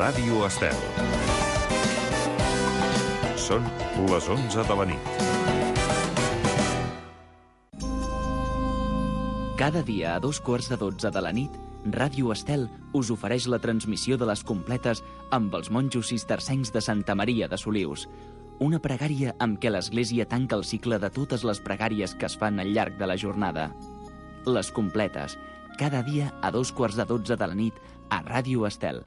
Ràdio Estel. Són les 11 de la nit. Cada dia a 2:15 de la nit, Ràdio Estel us ofereix la transmissió de les completes amb els monjos cistercencs de Santa Maria de Solius. Una pregària amb què l'Església tanca el cicle de totes les pregàries que es fan al llarg de la jornada. Les completes, cada dia a 2:15 de la nit a Ràdio Estel.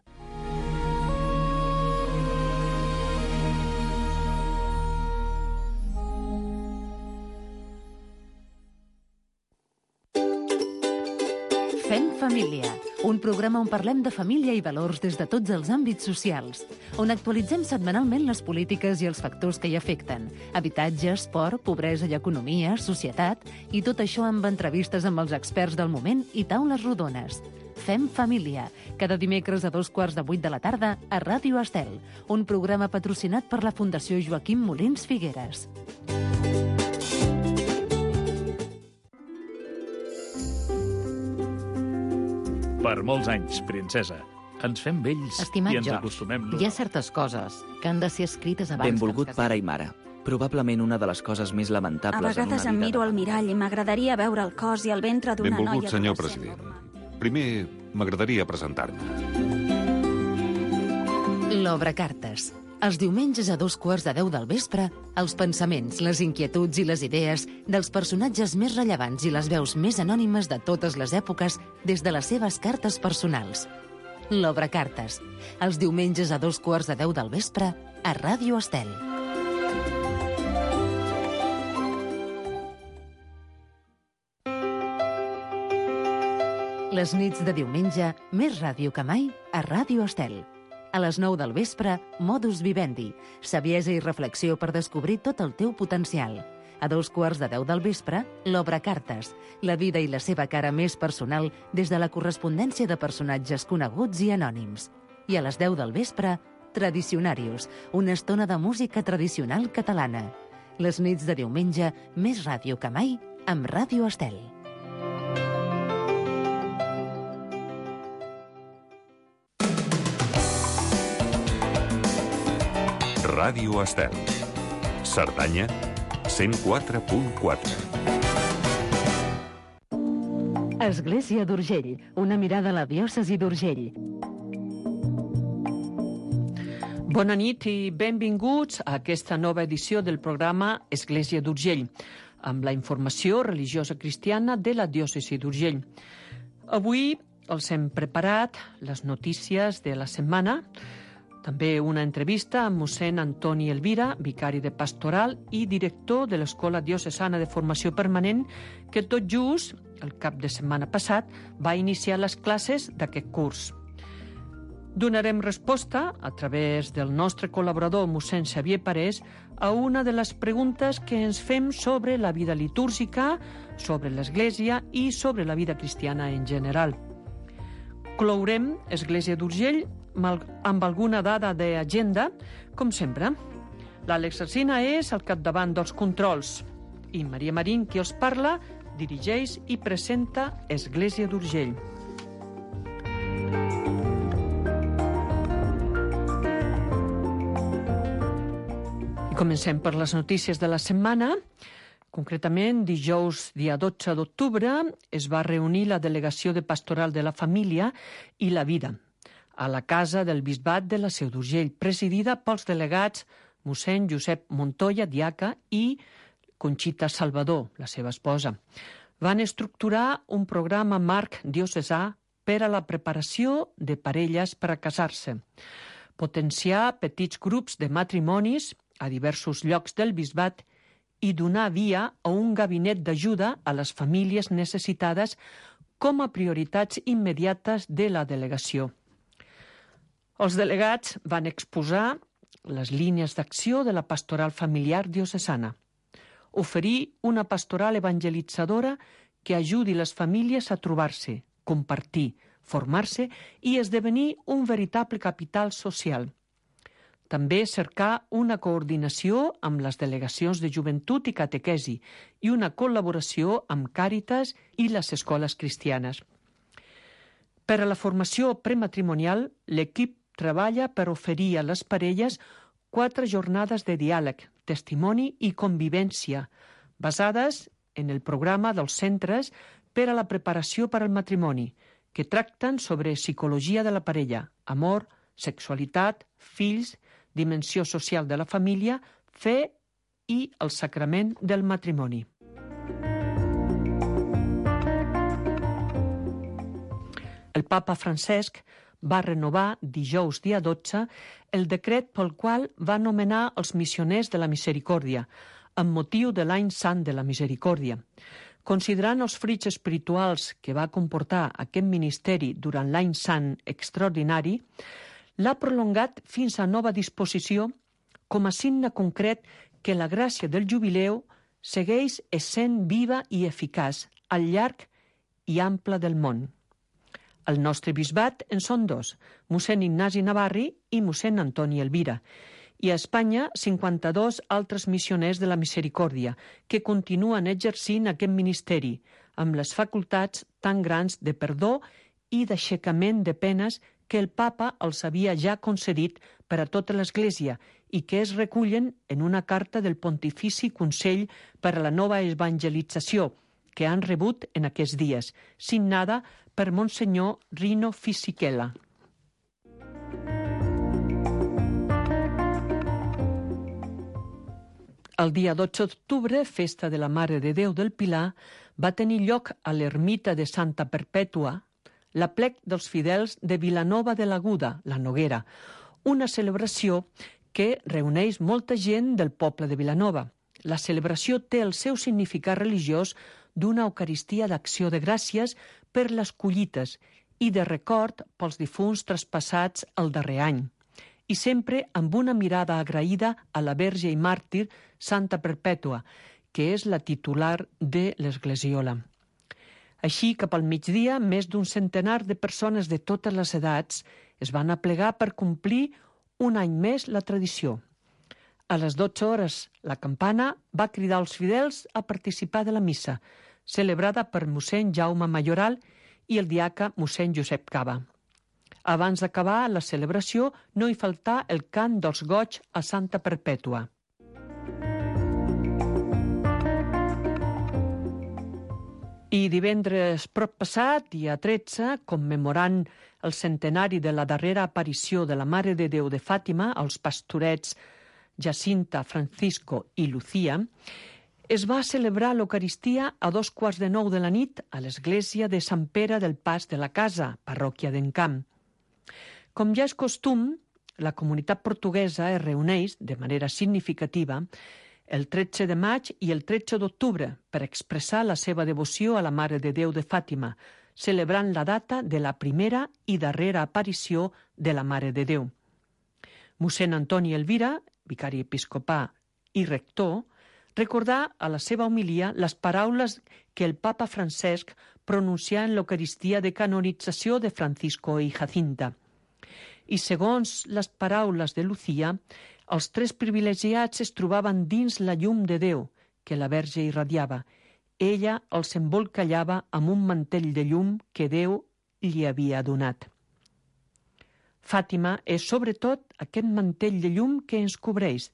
Fem família, un programa on parlem de família i valors des de tots els àmbits socials, on actualitzem setmanalment les polítiques i els factors que hi afecten, habitatge, esport, pobresa i economia, societat, i tot això amb entrevistes amb els experts del moment i taules rodones. Fem família, cada dimecres a 7:15 de la tarda a Ràdio Estel, un programa patrocinat per la Fundació Joaquim Molins Figueres. Per molts anys, princesa. Ens fem vells Estimat i ens George, acostumem. hi ha certes coses que han de ser escrites abans Benvolgut que ens pare i mare. Probablement una de les coses més A lamentables en vegades una em vida miro de al mirall i m'agradaria veure el cos i el ventre d'una noia Benvolgut, senyor adolescent president. normal. Primer, m'agradaria presentar-me. L'Obra Cartes. Els diumenges a 2:15 del vespre, els pensaments, les inquietuds i les idees dels personatges més rellevants i les veus més anònimes de totes les èpoques des de les seves cartes personals. L'Obra Cartes. Els diumenges a 2:15 del vespre a Ràdio Estel. Les nits de diumenge, més ràdio que mai a Ràdio Estel. A les 9 del vespre, Modus Vivendi, saviesa i reflexió per descobrir tot el teu potencial. A 2:15 del vespre, l'Obra Cartes, la vida i la seva cara més personal des de la correspondència de personatges coneguts i anònims. I a les 10 del vespre, Tradicionarius, una estona de música tradicional catalana. Les nits de diumenge, més ràdio que mai, amb Ràdio Estel. Ràdio Estel. Cerdanya, 104.4. Església d'Urgell, una mirada a la diòcesi d'Urgell. Bona nit i benvinguts a aquesta nova edició del programa Església d'Urgell, amb la informació religiosa cristiana de la diòcesi d'Urgell. Avui els hem preparat les notícies de la setmana, també una entrevista amb mossèn Antoni Elvira, vicari de pastoral i director de l'Escola Diocesana de Formació Permanent, que tot just, el cap de setmana passat, va iniciar les classes d'aquest curs. Donarem resposta, a través del nostre col·laborador mossèn Xavier Parés, a una de les preguntes que ens fem sobre la vida litúrgica, sobre l'Església i sobre la vida cristiana en general. Clourem Església d'Urgell amb alguna dada d'agenda, com sempre. L'Àlex Alsina és al capdavant dels controls i Maria Marín, qui us parla, dirigeix i presenta Església d'Urgell. I comencem per les notícies de la setmana. Concretament, dijous, dia 12 d'octubre, es va reunir la Delegació de Pastoral de la Família i la Vida a la Casa del Bisbat de la Seu d'Urgell, presidida pels delegats mossèn Josep Montoya, diaca, i Conxita Salvador, la seva esposa. Van estructurar un programa marc diocesà per a la preparació de parelles per a casar-se, potenciar petits grups de matrimonis a diversos llocs del bisbat i donar via a un gabinet d'ajuda a les famílies necessitades com a prioritats immediates de la delegació. Els delegats van exposar les línies d'acció de la pastoral familiar diocesana, oferir una pastoral evangelitzadora que ajudi les famílies a trobar-se, compartir, formar-se i esdevenir un veritable capital social. També cercar una coordinació amb les delegacions de joventut i catequesi i una col·laboració amb Càritas i les escoles cristianes. Per a la formació prematrimonial, l'equip treballa per oferir a les parelles 4 jornades de diàleg, testimoni i convivència, basades en el programa dels centres per a la preparació per al matrimoni, que tracten sobre psicologia de la parella, amor, sexualitat, fills, dimensió social de la família, fe i el sacrament del matrimoni. El papa Francesc va renovar dijous dia 12 el decret pel qual va nomenar els missioners de la misericòrdia, amb motiu de l'any sant de la misericòrdia. Considerant els fruits espirituals que va comportar aquest ministeri durant l'any sant extraordinari, l'ha prolongat fins a nova disposició com a signe concret que la gràcia del jubileu segueix essent viva i eficaç al llarg i ample del món. El nostre bisbat en són 2, mossèn Ignasi Navarri i mossèn Antoni Elvira, i a Espanya 52 altres missioners de la misericòrdia que continuen exercint aquest ministeri amb les facultats tan grans de perdó i d'aixecament de penes que el papa els havia ja concedit per a tota l'Església i que es recullen en una carta del Pontifici Consell per a la Nova Evangelització que han rebut en aquests dies, signada per Monsenyor Rino Fisichella. El dia 12 d'octubre, festa de la Mare de Déu del Pilar, va tenir lloc a l'ermita de Santa Perpètua l'aplec dels fidels de Vilanova de l'Aguda, la Noguera, una celebració que reuneix molta gent del poble de Vilanova. La celebració té el seu significat religiós d'una Eucaristia d'acció de gràcies per les collites i de record pels difunts traspassats el darrer any, i sempre amb una mirada agraïda a la Verge i màrtir Santa Perpètua, que és la titular de l'Esglesiola. Així, cap al migdia, més d'un centenar de persones de totes les edats es van aplegar per complir un any més la tradició. A les 12 hores, la campana va cridar als fidels a participar de la missa, celebrada per mossèn Jaume Mayoral i el diaca mossèn Josep Cava. Abans d'acabar la celebració, no hi faltà el cant dels goigs a Santa Perpètua. I divendres proppassat, dia 13, commemorant el centenari de la darrera aparició de la Mare de Déu de Fàtima als pastorets Jacinta, Francisco i Lucía, es va celebrar l'Eucaristia a 8:45 de la nit a l'església de Sant Pere del Pas de la Casa, parròquia d'Encamp. Com ja és costum, la comunitat portuguesa es reuneix de manera significativa el 13 de maig i el 13 d'octubre per expressar la seva devoció a la Mare de Déu de Fàtima, celebrant la data de la primera i darrera aparició de la Mare de Déu. Mossèn Antoni Elvira, vicari episcopà i rector, recordà a la seva homilia les paraules que el papa Francesc pronuncià en l'Eucaristia de canonització de Francisco i Jacinta. I segons les paraules de Lucía, els 3 privilegiats es trobaven dins la llum de Déu que la Verge irradiava. Ella els embolcallava amb un mantell de llum que Déu li havia donat. Fàtima és sobretot aquest mantell de llum que ens cobreix,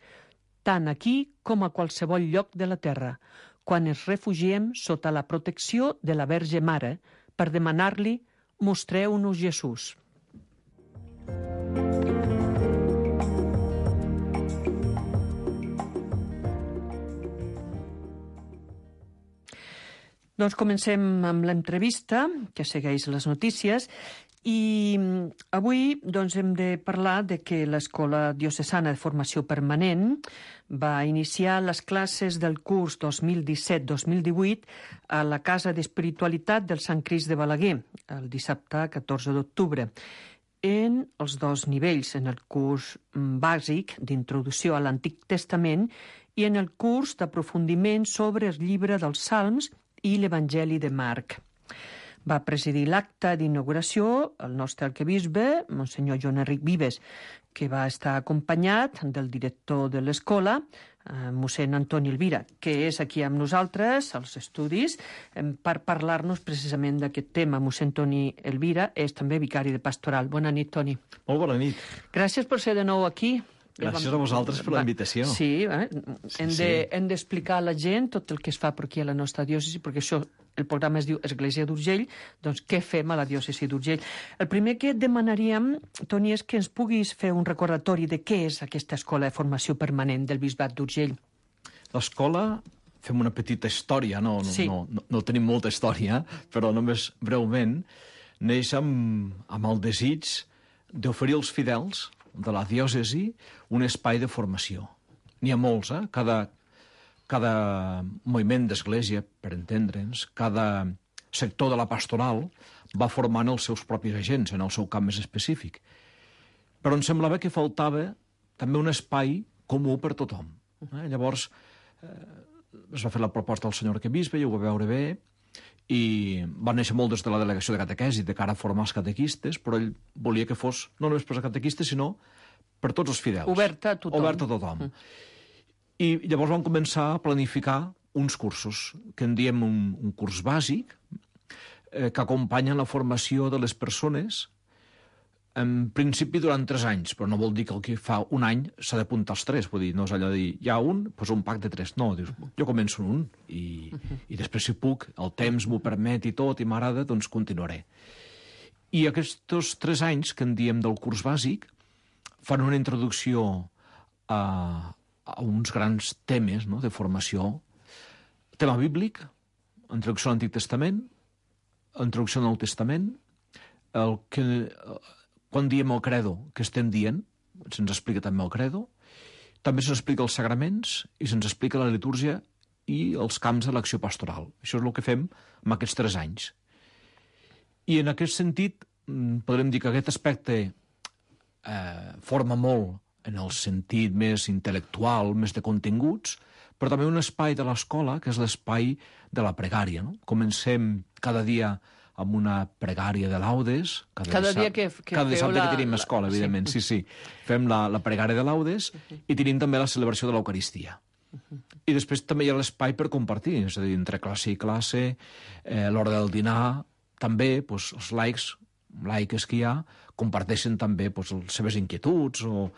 tant aquí com a qualsevol lloc de la terra, quan ens refugiem sota la protecció de la Verge Mare per demanar-li «Mostreu-nos Jesús». Doncs comencem amb l'entrevista, que segueix les notícies, i avui hem de parlar de que l'Escola Diocesana de Formació Permanent va iniciar les classes del curs 2017-2018 a la Casa d'Espiritualitat del Sant Crist de Balaguer, el dissabte 14 d'octubre, en els 2 nivells, en el curs bàsic d'introducció a l'Antic Testament i en el curs d'aprofundiment sobre el llibre dels Salms i l'Evangeli de Marc. Va presidir l'acte d'inauguració el nostre arquebisbe, Monsenyor Joan Enric Vives, que va estar acompanyat del director de l'escola, mossèn Antoni Elvira, que és aquí amb nosaltres, als estudis, per parlar-nos precisament d'aquest tema. Mossèn Antoni Elvira és també vicari de pastoral. Bona nit, Toni. Molt bona nit. Gràcies per ser de nou aquí. Gràcies a vosaltres per la invitació. Sí, hem d'explicar a la gent tot el que es fa per aquí a la nostra diòcesi, perquè això, el programa es diu Església d'Urgell, doncs què fem a la diòcesi d'Urgell? El primer que et demanaríem, Toni, és que ens puguis fer un recordatori de què és aquesta escola de formació permanent del Bisbat d'Urgell. L'escola, fem una petita història, no tenim molta història, però només breument, neix amb el desig d'oferir als fidels de la diòcesi un espai de formació. N'hi ha molts, cada moviment d'església, per entendre'ns, cada sector de la pastoral va formant els seus propis agents en el seu camp més específic. Però em semblava que faltava també un espai comú per tothom. Llavors es va fer la proposta al senyor arquebisbe, i ho va veure bé, i va néixer molt des de la delegació de catequesi de cara a formar els catequistes, però ell volia que fos no només per als catequistes, sinó per tots els fidels. Oberta a tothom. Oberta a tothom. I llavors vam començar a planificar uns cursos, que en diem un curs bàsic, que acompanyen la formació de les persones, en principi durant 3 anys, però no vol dir que el que fa un any s'ha d'apuntar als 3, vull dir, no és allò de dir, hi ha un, doncs un pack de 3. No, dius, jo començo en un, i després si puc, el temps m'ho permet i tot, i m'agrada, doncs continuaré. I aquests 3 anys que en diem del curs bàsic fan una introducció a uns grans temes de formació. Tema bíblic, introducció a l'Antic Testament, introducció al Nou Testament, quan diem el credo, que estem dient, se'ns explica també el credo, també se'ns explica els sagraments i se'ns explica la litúrgia i els camps de l'acció pastoral. Això és el que fem en aquests 3 anys. I en aquest sentit, podrem dir que aquest aspecte forma molt en el sentit més intel·lectual, més de continguts, però també un espai de l'escola, que és l'espai de la pregària. Comencem cada dia amb una pregària de laudes. Cada dia que dissabte que tenim escola, evidentment. Sí. Fem la pregària de laudes i tenim també la celebració de l'Eucaristia. I després també hi ha l'espai per compartir, és a dir, entre classe i classe, l'hora del dinar, també els laics que hi ha, comparteixen també les seves inquietuds o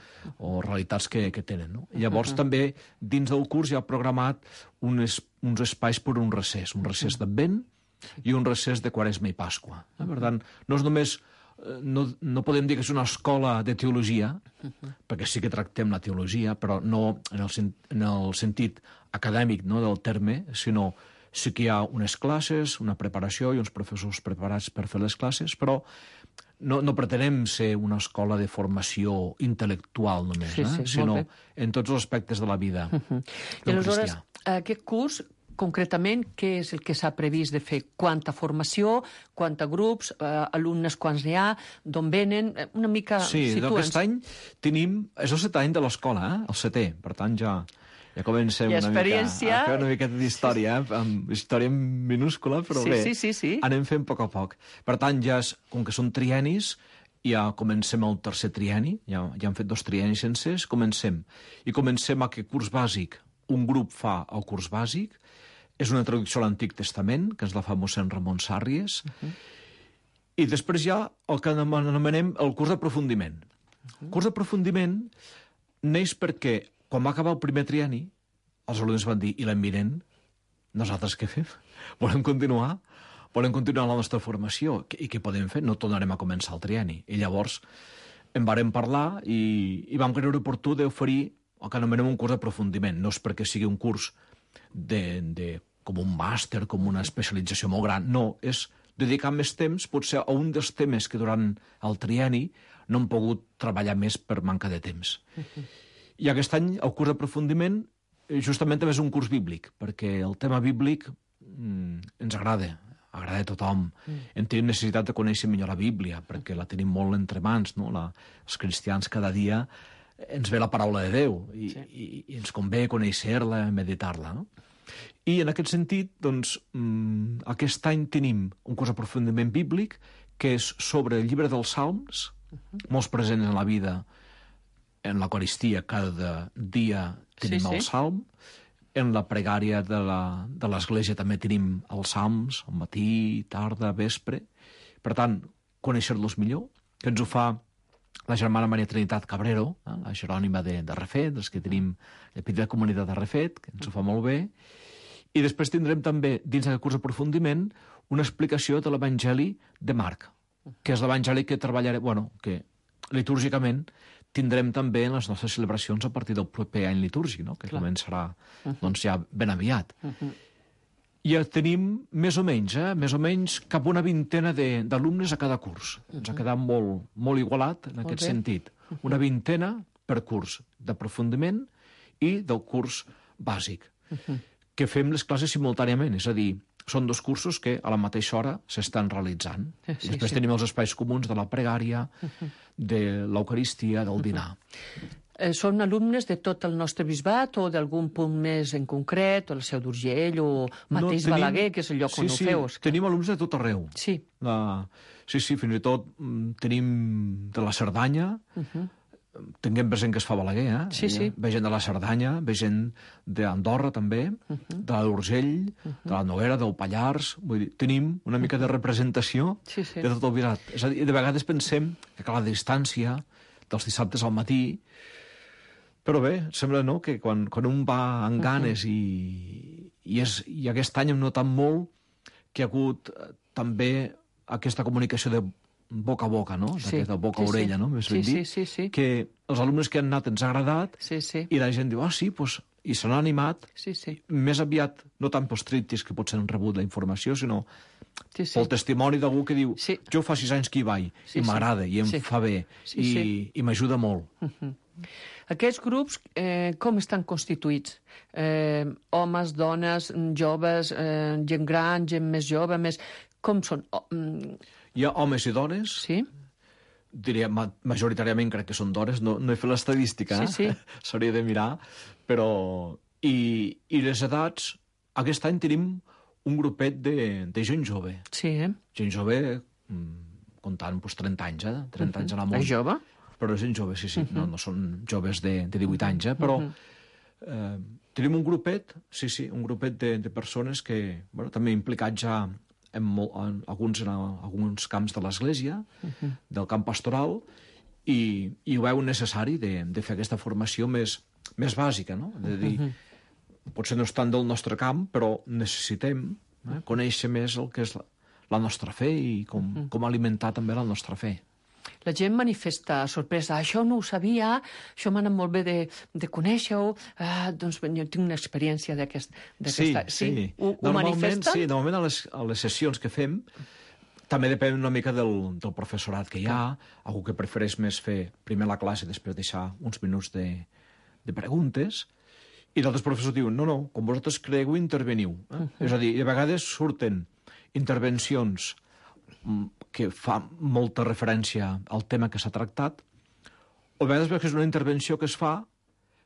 realitats que tenen. Llavors també dins del curs hi ha programat uns espais per un recés d'Advent i un recés de Quaresma i Pasqua. Per tant, no és només, no podem dir que és una escola de teologia, perquè sí que tractem la teologia, però no en el sentit acadèmic del terme, sinó sí que hi ha unes classes, una preparació i uns professors preparats per fer les classes, però no pretenem ser una escola de formació intel·lectual només, sinó en tots els aspectes de la vida. I aleshores, aquest curs, concretament, què és el que s'ha previst de fer? Quanta formació, quanta grups, alumnes quants n'hi ha, d'on venen? Una mica situa'ns. Sí, aquest any tenim... És el 7è any de l'escola, el 7è, per tant ja comencem a fer una miqueta d'història, amb història minúscula, però bé, anem fent a poc. Per tant, com que són triennis, ja comencem el 3è trienni, ja hem fet 2 triennis sencers, comencem aquest curs bàsic, un grup fa el curs bàsic, és una traducció a l'Antic Testament, que ens la fa mossèn Ramon Sàrries, i després hi ha el que anomenem el curs d'aprofundiment. El curs d'aprofundiment neix perquè quan va acabar el primer trienni, els alumnes van dir, i l'any vinent, nosaltres què fem? Volem continuar la nostra formació. I què podem fer? No tornarem a començar el trienni. I llavors en vàrem parlar i vam creure oportú d'oferir el que anomenem un curs d'aprofundiment. No és perquè sigui un curs com un màster, com una especialització molt gran. No, és dedicar més temps, potser a un dels temes que durant el trienni no hem pogut treballar més per manca de temps. I aquest any el curs d'aprofundiment justament també és un curs bíblic, perquè el tema bíblic ens agrada a tothom. En tenim necessitat de conèixer millor la Bíblia, perquè la tenim molt entre mans, no? Els cristians cada dia ens ve la paraula de Déu i ens convé conèixer-la, meditar-la. No? I en aquest sentit, doncs, aquest any tenim un curs d'aprofundiment bíblic que és sobre el llibre dels Salms, molt present en la vida en l'Eucaristia cada dia tenim el Salm, en la pregària de l'Església també tenim els Salms, al matí, tarda, vespre. Per tant, conèixer-los millor, que ens ho fa la germana Maria Trinitat Cabrero, la Jerònima de Refet, els que tenim la petita comunitat de Refet, que ens ho fa molt bé. I després tindrem també, dins d'aquest curs d'aprofundiment, una explicació de l'Evangeli de Marc, que és l'Evangeli que treballarem, que litúrgicament tindrem també en les nostres celebracions a partir del proper any litúrgic, que començarà ja ben aviat. I tenim més o menys cap una vintena d'alumnes a cada curs. Ens ha quedat molt igualat en aquest sentit. Una vintena per curs d'aprofundiment i del curs bàsic, que fem les classes simultàniament, és a dir, són dos cursos que a la mateixa hora s'estan realitzant. Després tenim els espais comuns de la pregària, de l'Eucaristia, del dinar. Són alumnes de tot el nostre bisbat o d'algun punt més en concret, o el Seu d'Urgell, o mateix Balaguer, que és el lloc on ho feu? Tenim alumnes de tot arreu. Sí, fins i tot tenim de la Cerdanya, tinguem present que es fa Balaguer, ve gent de la Cerdanya, ve gent d'Andorra també, de l'Urgell, de la Noguera, del Pallars. Vull dir, tenim una mica de representació de tot el bisbat. És a dir, de vegades pensem que a la distància dels dissabtes al matí, però bé, sembla que quan un va amb ganes i aquest any hem notat molt que hi ha hagut també aquesta comunicació de boca a boca, de boca a orella, més ben dit, que els alumnes que han anat ens ha agradat i la gent diu, i se n'ha animat, més aviat, no tant pels tríptics que potser han rebut la informació, sinó pel testimoni d'algú que diu, jo fa 6 anys que hi vaig, i m'agrada, i em fa bé, i m'ajuda molt. Aquests grups, com estan constituïts? Homes, dones, joves, gent gran, gent més jove, com són? Hi ha homes i dones, diria majoritàriament crec que són dones, no he fet l'estadística, s'hauria de mirar, però... I les edats, aquest any tenim un grupet de gent jove. Gent jove, comptant 30 anys, 30 anys a la món. És jove? Però és gent jove, no són joves de 18 anys, però tenim un grupet, un grupet de persones que també implicats ja en alguns camps de l'Església, del camp pastoral, i ho veu necessari de fer aquesta formació més bàsica, no? De dir, potser no és tant del nostre camp, però necessitem conèixer més el que és la nostra fe i com alimentar també la nostra fe. La gent manifesta sorpresa. Això no ho sabia, això m'ha anat molt bé de conèixer-ho. Doncs jo tinc una experiència d'aquesta... Sí. Ho manifesta? Sí, normalment a les sessions que fem també depèn una mica del professorat que hi ha. Algú que prefereix més fer primer la classe i després deixar uns minuts de preguntes. I d'altres professors diuen, no, com vosaltres creieu, interveniu. És a dir, a vegades surten intervencions que fa molta referència al tema que s'ha tractat, o a vegades veus que és una intervenció que es fa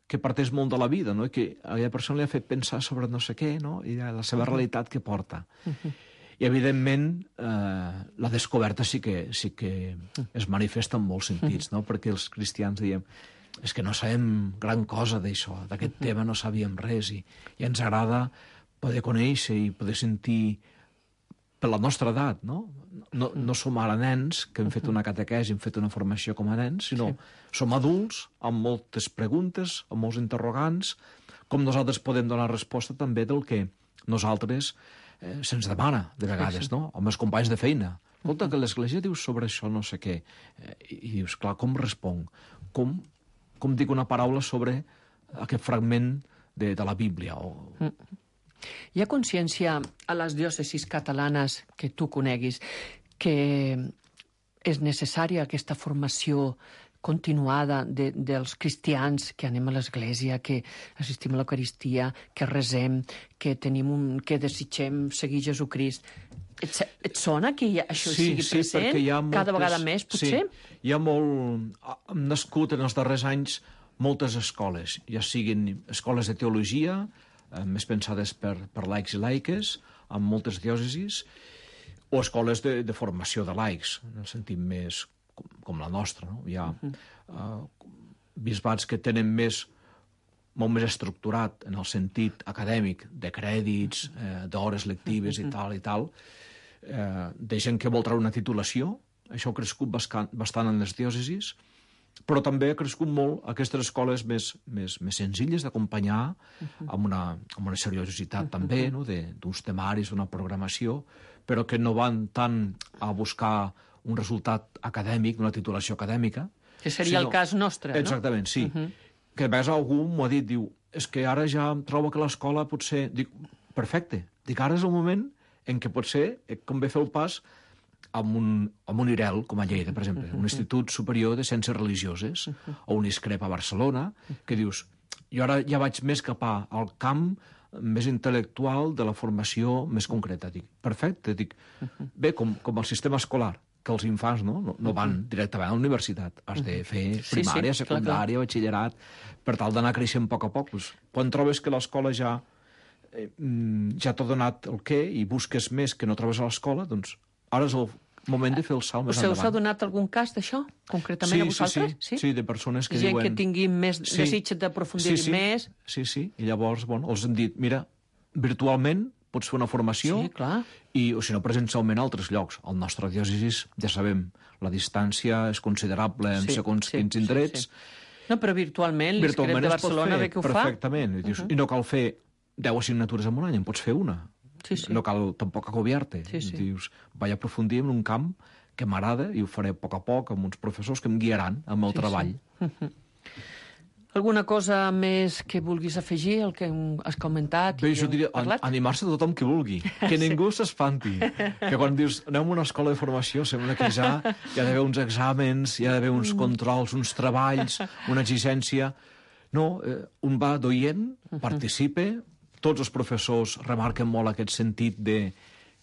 que parteix molt de la vida, no? I que a aquella persona li ha fet pensar sobre no sé què, no? I la seva realitat que porta. I, evidentment, la descoberta sí que es manifesta en molts sentits, no? Perquè els cristians diem, és que no sabem gran cosa d'això, d'aquest tema no sabíem res, i ens agrada poder conèixer i poder sentir per la nostra edat, no? No som ara nens que hem fet una catequesi, hem fet una formació com a nens, sinó som adults amb moltes preguntes, amb molts interrogants, com nosaltres podem donar resposta també del que nosaltres se'ns demana, de vegades, no? Amb els companys de feina. Escolta, que l'Església diu sobre això no sé què. I dius, clar, com responc? Com dic una paraula sobre aquest fragment de la Bíblia? Hi ha consciència a les diòcesis catalanes que tu coneguis que és necessària aquesta formació continuada dels cristians, que anem a l'església, que assistim a l'Eucaristia, que resem, que desitgem seguir Jesucrist. Et sona que això sigui present cada vegada més, potser? Sí, hi ha molt... Han nascut en els darrers anys moltes escoles, ja siguin escoles de teologia, més pensades per laics i laiques, amb moltes diòcesis, o escoles de formació de laics, en el sentit més com la nostra. No? Hi ha bisbats que tenen molt més estructurat en el sentit acadèmic de crèdits, d'hores lectives i tal, de gent que vol treure una titulació. Això ha crescut bastant en les diòcesis, però també ha crescut molt aquestes escoles més senzilles d'acompanyar amb una seriositat també, no? D'uns temaris, d'una programació, però que no van tant a buscar un resultat acadèmic, una titulació acadèmica. Que seria el cas nostre, no? Exactament, sí. Que a vegades algú m'ho ha dit, diu, és que ara ja trobo que l'escola potser... Dic, perfecte, dic, ara és el moment en què potser convé fer el pas amb un IREL, com a Lleida, per exemple, un Institut Superior de Ciències Religioses, o un ISCREP a Barcelona, que dius, jo ara ja vaig més cap al camp més intel·lectual de la formació més concreta. Dic, perfecte, dic, bé, com el sistema escolar, que els infants no van directament a la universitat. Has de fer primària, secundària, batxillerat, per tal d'anar creixent a poc. Quan trobes que l'escola ja t'ha donat el què i busques més que no trobes a l'escola, doncs ara és el moment de fer el salt més endavant. Us ha donat algun cas d'això, concretament a vosaltres? Sí, de persones que diuen... Gent que tingui més desig d'aprofundir més... Sí, i llavors, els han dit, mira, virtualment pots fer una formació, o si no, presencialment a altres llocs. Al nostre diòcesis, ja sabem, la distància és considerable en segons quins indrets. No, però virtualment l'ISCREP de Barcelona ve que ho fa. Perfectament. I no cal fer 10 assignatures en un any, en pots fer una. No cal tampoc agobiar-te. Dius, vaig aprofundir en un camp que m'agrada i ho faré a poc amb uns professors que em guiaran amb el treball. Alguna cosa més que vulguis afegir, el que has comentat? Bé, jo diria, animar-se a tothom que vulgui, que ningú s'espanti. Que quan dius, anem a una escola de formació, sembla que ja hi ha d'haver uns exàmens, hi ha d'haver uns controls, uns treballs, una exigència. No, un va d'oient, participa, tots els professors remarquen molt aquest sentit de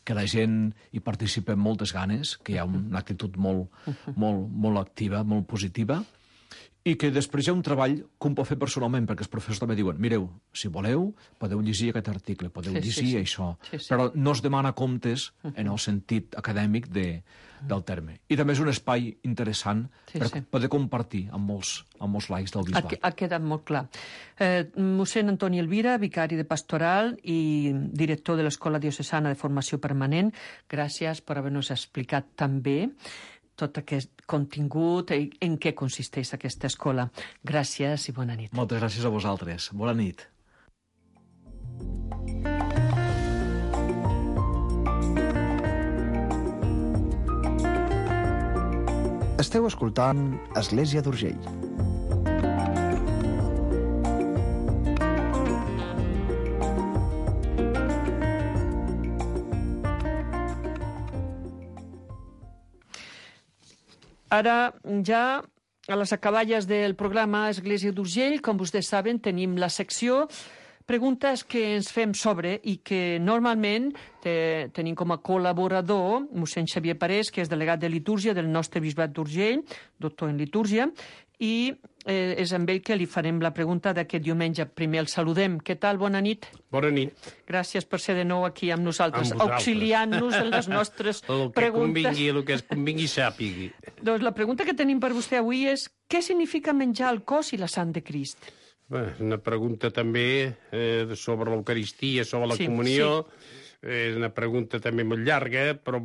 que la gent hi participa amb moltes ganes, que hi ha una actitud molt activa, molt positiva, i que després hi ha un treball que un pot fer personalment, perquè els professors també diuen, mireu, si voleu, podeu llegir aquest article, podeu llegir això, però no es demana comptes en el sentit acadèmic del terme. I també és un espai interessant per poder compartir amb molts laics del bisbat. Ha quedat molt clar. Mossèn Antoni Elvira, vicari de pastoral i director de l'Escola Diocesana de Formació Permanent, gràcies per haver-nos explicat també tot aquest contingut i en què consisteix aquesta escola. Gràcies i bona nit. Moltes gràcies a vosaltres. Bona nit. Esteu escoltant Església d'Urgell. Ara, ja a les acaballes del programa Església d'Urgell, com vostès saben, tenim la secció preguntes que ens fem sobre i que normalment tenim com a col·laborador mossèn Xavier Parés, que és delegat de litúrgia del nostre bisbat d'Urgell, doctor en litúrgia, i és amb ell que li farem la pregunta d'aquest diumenge. Primer el saludem. Què tal? Bona nit. Bona nit. Gràcies per ser de nou aquí amb nosaltres, auxiliant-nos en les nostres preguntes. El que es convingui sàpigui. Doncs la pregunta que tenim per vostè avui és què significa menjar el cos i la sang de Crist? Una pregunta també sobre l'Eucaristia, sobre la comunió. És una pregunta també molt llarga, però,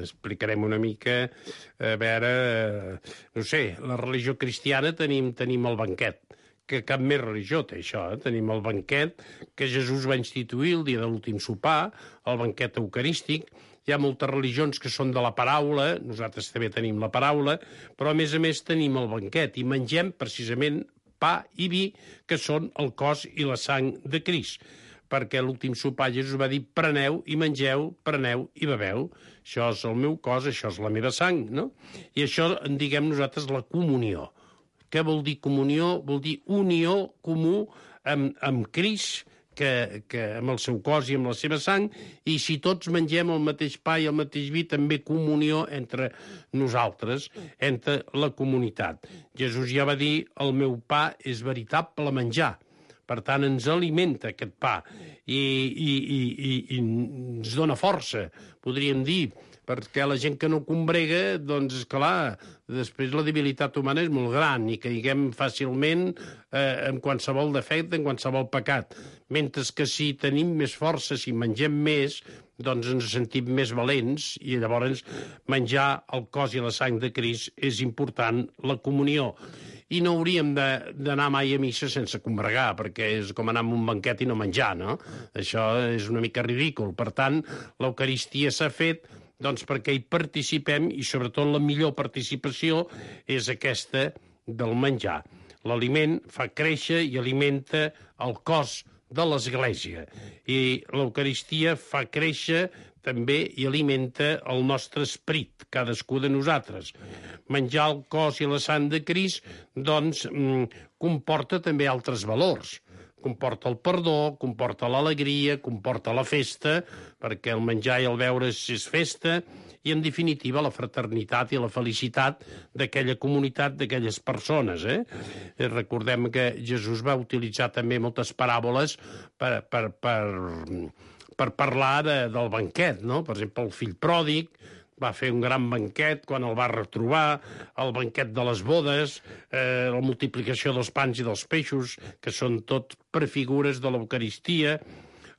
explicarem una mica. A veure, no sé, la religió cristiana tenim el banquet, que cap més religió té això, Tenim el banquet que Jesús va instituir el dia de l'últim sopar, el banquet eucarístic. Hi ha moltes religions que són de la paraula, nosaltres també tenim la paraula, però a més tenim el banquet i mengem precisament pa i vi, que són el cos i la sang de Crist. Perquè l'últim sopar Jesús va dir preneu i mengeu, preneu i beveu. Això és el meu cos, això és la meva sang, no? I això en diguem nosaltres la comunió. Què vol dir comunió? Vol dir unió comú amb Crist, que amb el seu cos i amb la seva sang, i si tots mengem el mateix pa i el mateix vi, també comunió entre nosaltres, entre la comunitat. Jesús ja va dir, el meu pa és veritable menjar. Per tant, ens alimenta aquest pa i ens dona força, podríem dir, perquè la gent que no combrega, doncs, esclar, després la debilitat humana és molt gran i caiguem fàcilment en qualsevol defecte, en qualsevol pecat. Mentre que si tenim més força, si mengem més, doncs ens sentim més valents i llavors menjar el cos i la sang de Crist és important, la comunió. I no hauríem d'anar mai a missa sense combregar, perquè és com anar a un banquet i no menjar, no? Això és una mica ridícul. Per tant, l'Eucaristia s'ha fet doncs, perquè hi participem i, sobretot, la millor participació és aquesta del menjar. L'aliment fa créixer i alimenta el cos de l'Església. I l'Eucaristia fa créixer també i alimenta el nostre esperit, cadascú de nosaltres. Menjar el cos i la sang de Crist, doncs, comporta també altres valors. Comporta el perdó, comporta l'alegria, comporta la festa, perquè el menjar i el beure és festa, i, en definitiva, la fraternitat i la felicitat d'aquella comunitat, d'aquelles persones. Recordem que Jesús va utilitzar també moltes paràboles per parlar del banquet, no? Per exemple, el fill pròdig va fer un gran banquet quan el va retrobar, el banquet de les bodes, la multiplicació dels pans i dels peixos, que són tot prefigures de l'Eucaristia,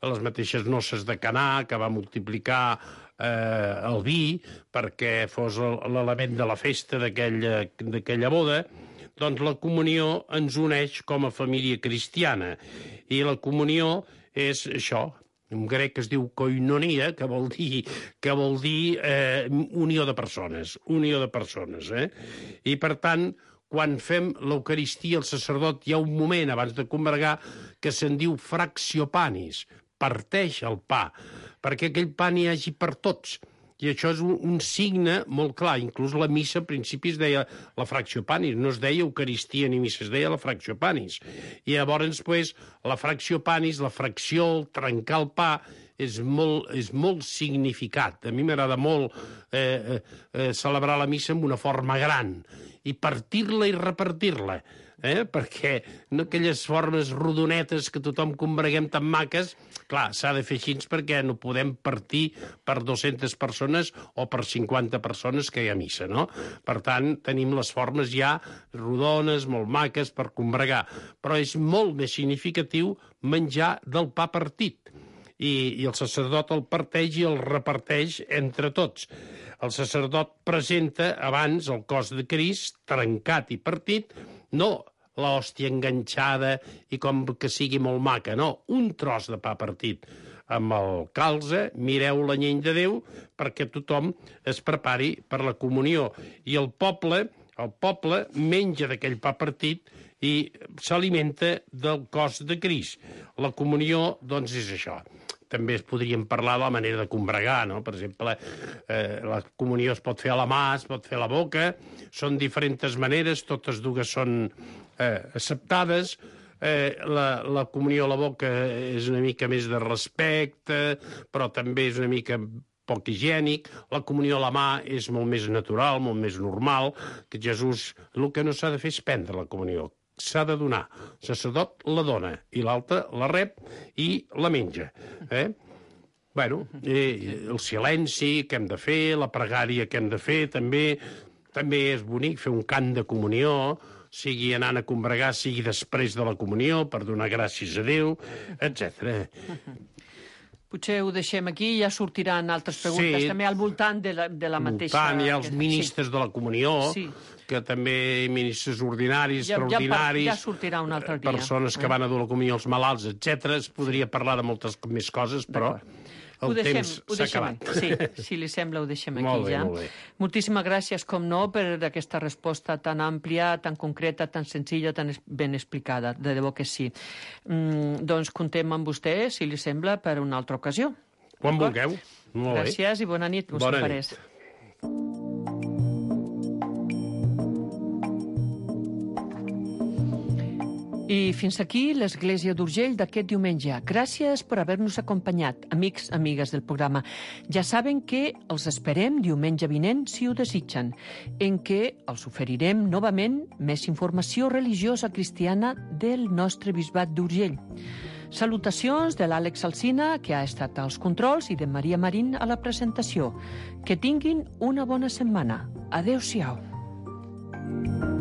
les mateixes noces de Canà, que va multiplicar el vi perquè fos l'element de la festa d'aquella boda. Doncs la comunió ens uneix com a família cristiana. I la comunió és això. En grec es diu koinonia, que vol dir unió de persones. Unió de persones, I, per tant, quan fem l'Eucaristia, el sacerdot, hi ha un moment, abans de combregar, que se'n diu fractio panis, parteix el pa, perquè aquell pa n'hi hagi per tots. I això és un signe molt clar. Inclús la missa, al principi, es deia la fractio panis. No es deia Eucaristia ni missa, es deia la fractio panis. I llavors, pues, la fractio panis, la fracció, el trencar el pa, és molt significat. A mi m'agrada molt celebrar la missa amb una forma gran i partir-la i repartir-la. Perquè no aquelles formes rodonetes que tothom combreguem tan maques, clar, s'ha de fer així perquè no podem partir per 200 persones o per 50 persones que hi ha missa, no? Per tant, tenim les formes ja rodones, molt maques per combregar, però és molt més significatiu menjar del pa partit. I el sacerdot el parteix i el reparteix entre tots. El sacerdot presenta abans el cos de Crist, trencat i partit, no l'hòstia enganxada i com que sigui molt maca, no, un tros de pa partit amb el calze, mireu l'anyell de Déu, perquè tothom es prepari per la comunió. I el poble menja d'aquell pa partit i s'alimenta del cos de Crist. La comunió, doncs, és això. També podríem parlar de la manera de combregar, no? Per exemple, la comunió es pot fer a la mà, es pot fer a la boca, són diferents maneres, totes dues són acceptades. La comunió a la boca és una mica més de respecte, però també és una mica poc higiènic. La comunió a la mà és molt més natural, molt més normal, que Jesús... El que no s'ha de fer és prendre la comunió. S'ha de donar. El sacerdot la dona i l'altre la rep i la menja. Bueno, el silenci que hem de fer, la pregària que hem de fer, també és bonic fer un cant de comunió, sigui anant a combregar, sigui després de la comunió, per donar gràcies a Déu, etc. Potser ho deixem aquí i ja sortiran altres preguntes, també al voltant de la mateixa... Al voltant hi ha els ministres de la comunió, que també ministres ordinaris, extraordinaris... Ja sortirà un altre dia. Persones que van a dur la comunió als malalts, etc. Es podria parlar de moltes més coses, però... El temps s'ha acabat. Sí, si li sembla, ho deixem aquí ja. Molt bé. Moltíssimes gràcies, com no, per aquesta resposta tan àmplia, tan concreta, tan senzilla, tan ben explicada. De debò que sí. Doncs comptem amb vostè, si li sembla, per una altra ocasió. Quan vulgueu. Gràcies i bona nit. Bona nit. I fins aquí l'Església d'Urgell d'aquest diumenge. Gràcies per haver-nos acompanyat, amics, amigues del programa. Ja saben que els esperem diumenge vinent, si ho desitgen, en què els oferirem novament més informació religiosa cristiana del nostre bisbat d'Urgell. Salutacions de l'Àlex Alsina, que ha estat als controls, i de Maria Marín a la presentació. Que tinguin una bona setmana. Adéu-siau.